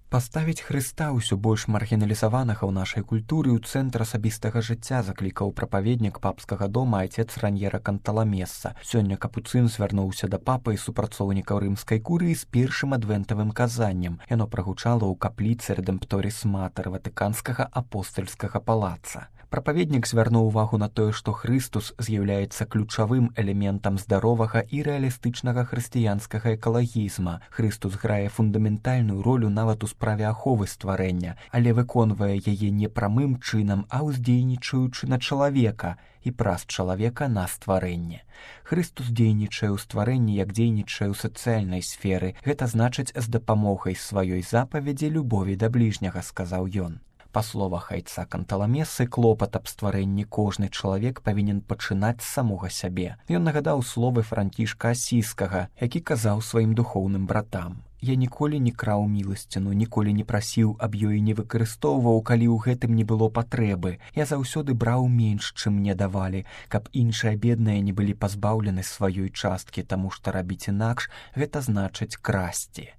Паставіць Хрыста ўсё больш маргіналізаванага ў нашай культуры ў цэнтр асабістага жыцця заклікаў прапаведнік папскага дома айцец Раньера Канталамесса. Сёння капуцын звярнуўся да папы і супрацоўнікаў рымскай курыі з першым адвентавым казаннем. Яно прагучала ў капліцы Рэдэмпторіс Матэр ватыканскага апостальскага палаца. Прапаведнік звярнуў увагу на тое, што Хрыстус з'яўляецца ключавым элементам здаровага і рэалістычнага хрысціянскага экалагізма. Хрыстус грае фундаментальную ролю нават у справе аховы стварэння, але выконвае яе не прамым чынам, а ўздзейнічаючы на чалавека і праз чалавека на стварэнне. Хрыстус дзейнічае ў стварэнні, як дзейнічае ў сацыяльнай сферы. Гэта значыць з дапамогай сваёй запаведзі любові да бліжняга, сказаў ён. Па словах айца Канталамесы, клопат аб стварэнні кожны чалавек павінен пачынаць з самога сябе. Ён нагадаў словы Францішка Асійскага, які казаў сваім духоўным братам: «Я ніколі не краў міласціну, ніколі не прасіў, аб ёй не выкарыстоўваў, калі ў гэтым не было патрэбы. Я заўсёды браў менш, чым мне давалі, каб іншыя бедныя не былі пазбаўлены сваёй часткі, таму што рабіць інакш – гэта значыць красці».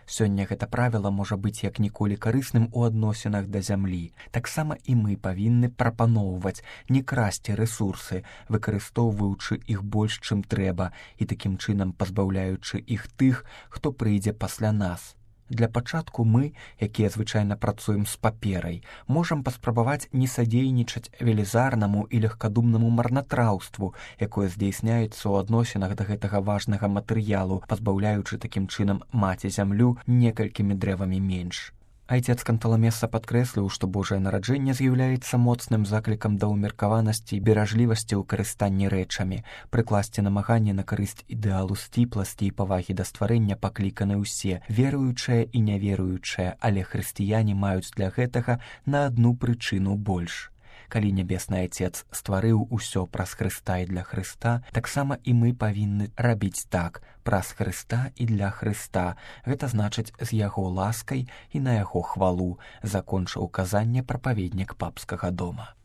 Сёння гэта правіла можа быць як ніколі карысным у адносінах да зямлі. Таксама і мы павінны прапаноўваць не красці рэсурсы, выкарыстоўваючы іх больш, чым трэба, і такім чынам пазбаўляючы іх тых, хто прыйдзе пасля нас. Для пачатку мы, якія звычайна працуем з паперай, можам паспрабаваць не садзейнічаць велізарнаму і легкадумнаму марнатраўству, якое здзяйсняецца ў адносінах да гэтага важнага матэрыялу, пазбаўляючы такім чынам маці зямлю некалькімі дрэвамі менш. Айцец Канталамеса падкрэсліў, што Божае нараджэнне з'яўляецца моцным заклікам да ўмеркаванасці і беражлівасці ў карыстанні рэчамі. Прыкласці намаганне на карысць ідэалу сціпласці і павагі да стварэння пакліканы ўсе, веруючыя і няверуючыя, але хрысціяне маюць для гэтага на адну прычыну больш. Калі Нябесны Айцец стварыў усё праз Хрыста і для Хрыста, таксама і мы павінны рабіць так, праз Хрыста і для Хрыста. Гэта значыць з яго ласкай і на яго хвалу, закончыў казанне прапаведнік папскага дома.